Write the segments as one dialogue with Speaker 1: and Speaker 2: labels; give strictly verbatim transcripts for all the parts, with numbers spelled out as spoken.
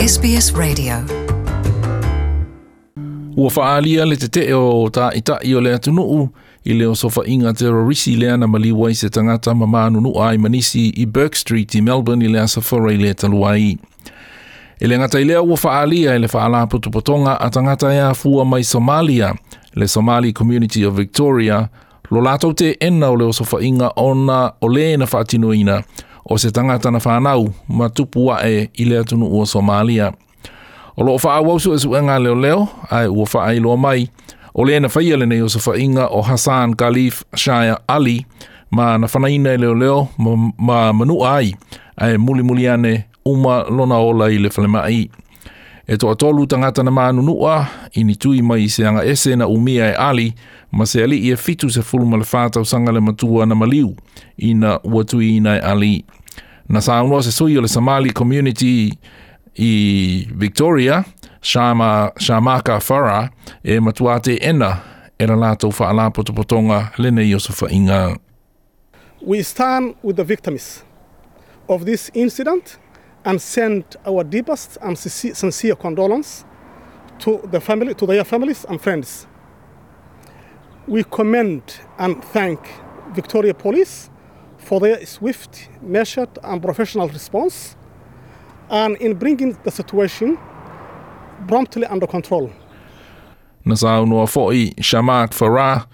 Speaker 1: S B S Radio.
Speaker 2: Ua faalia le tete'e o ta'ita'i o le atunuu i le osofa'iga terorisi lea na maliu ai se tagata ma manunu'a ai ma nisi i Bourke Street i Melbourne i le Aso Faraile talu ai. E le gata i lea, ua faalia e le faalapotopotoga a tagata e afua mai Somalia, le Somali Community of Victoria, lo latou teena o le osofa'iga, ona o lē na faatinoina o se tagata na fanau ma tupu a'e i le atunuu o Somalia. O loo faaauau suesuega a leoleo, ae ua faailoa mai o lē na faia lenei osofa'iga o Hassan Khalif Shire Ali, ma na fanaina e leoleo ma, ma manu'a ai, ae mulimuli ane uma lona ola i le falema'i. E toatolu tagata na manunu'a i ni tui mai i se aga ese na umia e Ali, ma se ali'i e fitu sefulu ma le whā tausaga le matua na maliu ina ua tuiina e Ali. Na saunoa se sui o le Somali Community i Victoria, Shama, Shamaka Farah, e matua teena e la latou faalapotopotoga lenei osofa'iga.
Speaker 3: We stand with the victims of this incident and send our deepest and sincere condolence to the family, to their families and friends. We commend and thank Victoria Police for their swift, measured, and professional response and in bringing the situation promptly under control.
Speaker 2: Na saunoa fo'i Shamak Farah,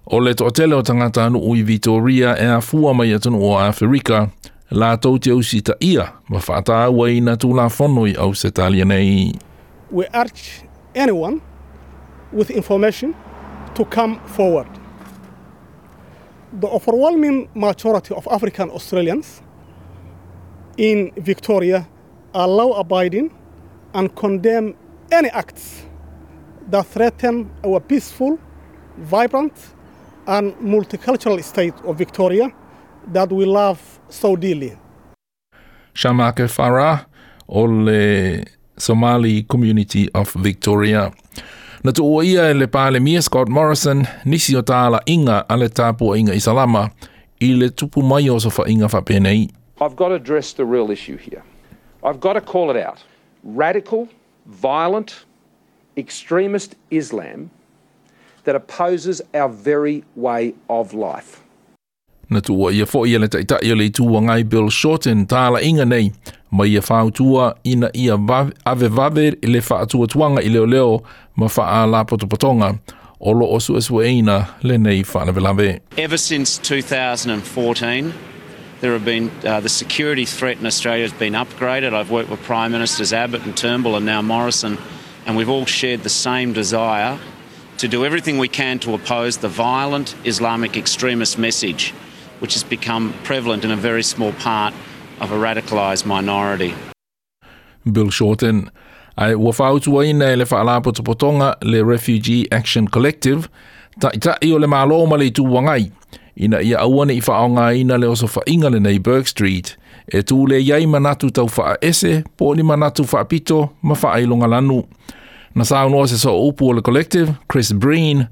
Speaker 2: o le toatele o tagata anu'u i Victoria e afua mai atunuu o Aferika, latou te usita'ia ma faatauaina tulafono i Ausetalia nei.
Speaker 3: We urge anyone with information to come forward. The overwhelming majority of African Australians in Victoria are law abiding and condemn any acts that threaten our peaceful, vibrant, and multicultural state of Victoria that we love so dearly.
Speaker 2: Shamake Farah o le Somali Community of Victoria. Na tuua ia e le Palemia Scott Morrison nisi o tāla'iga a le tapua'iga Isalama i le tupu mai o osofa'iga faapenei.
Speaker 4: I've got to address the real issue here. I've got to call it out. Radical, violent, extremist Islam that opposes our very way of life.
Speaker 2: Na tuua ia fo'i e le ta'ita'i o le Itu Agai Bill Shorten tāla'iga nei, ma ia fautua ina ia avevave le faatuatuaga i leoleo ma faalapotopotoga o loo suesueina lenei faalavelave.
Speaker 5: Ever since twenty fourteen, there have been uh, the security threat in Australia has been upgraded. I've worked with Prime Ministers Abbott and Turnbull and now Morrison, and we've all shared the same desire to do everything we can to oppose the violent Islamic extremist message, which has become prevalent in a very small part of a radicalised minority.
Speaker 2: Bill Shorten. Ae ua fautuaina e le faalapotopotoga le Refugee Action Collective ta'ita'i o le Mālō ma le Itu Agai ina ia aua ne'i faaaogāina le osofa'iga lenei Bourke Street e tū le ai manatu tau faaese po o ni manatu faapito ma faailogalanu. Na saunoa se sooupu o le Collective, Chris Breen,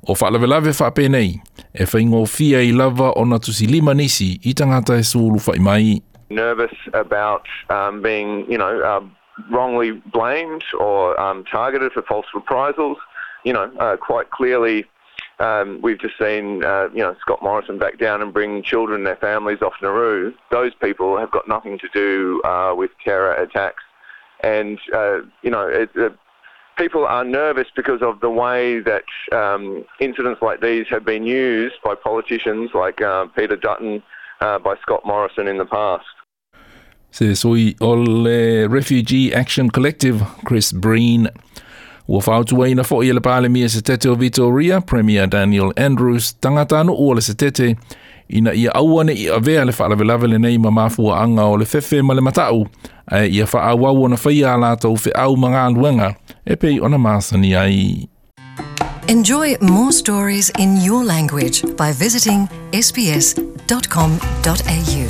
Speaker 2: o faalavelave faapenei e faigofie ai lava ona tusilima nisi i tagata e sulufa'i mai.
Speaker 6: Nervous about um, being, you know, uh, wrongly blamed or um, targeted for false reprisals. You know, uh, quite clearly, um, we've just seen, uh, you know, Scott Morrison back down and bring children and their families off Nauru. Those people have got nothing to do uh, with terror attacks. And, uh, you know, it, it, people are nervous because of the way that um, incidents like these have been used by politicians like uh, Peter Dutton, uh, by Scott Morrison in the past.
Speaker 2: Se sui o le Refugee Action Collective, Chris Breen. Ua fautuaina fo'i e le Palemia Setete o Victoria, Premier Daniel Andrews, tagata anu'u o le Setete, ina ia aua ne'i avea le faalavelave lenei ma mafua'aga o le fefe ma le mata'u, ae ia faaauau ona faia a latou fe'au ma galuega e pei ona masani ai.
Speaker 1: Enjoy more stories in your language by visiting S B S dot com dot A U.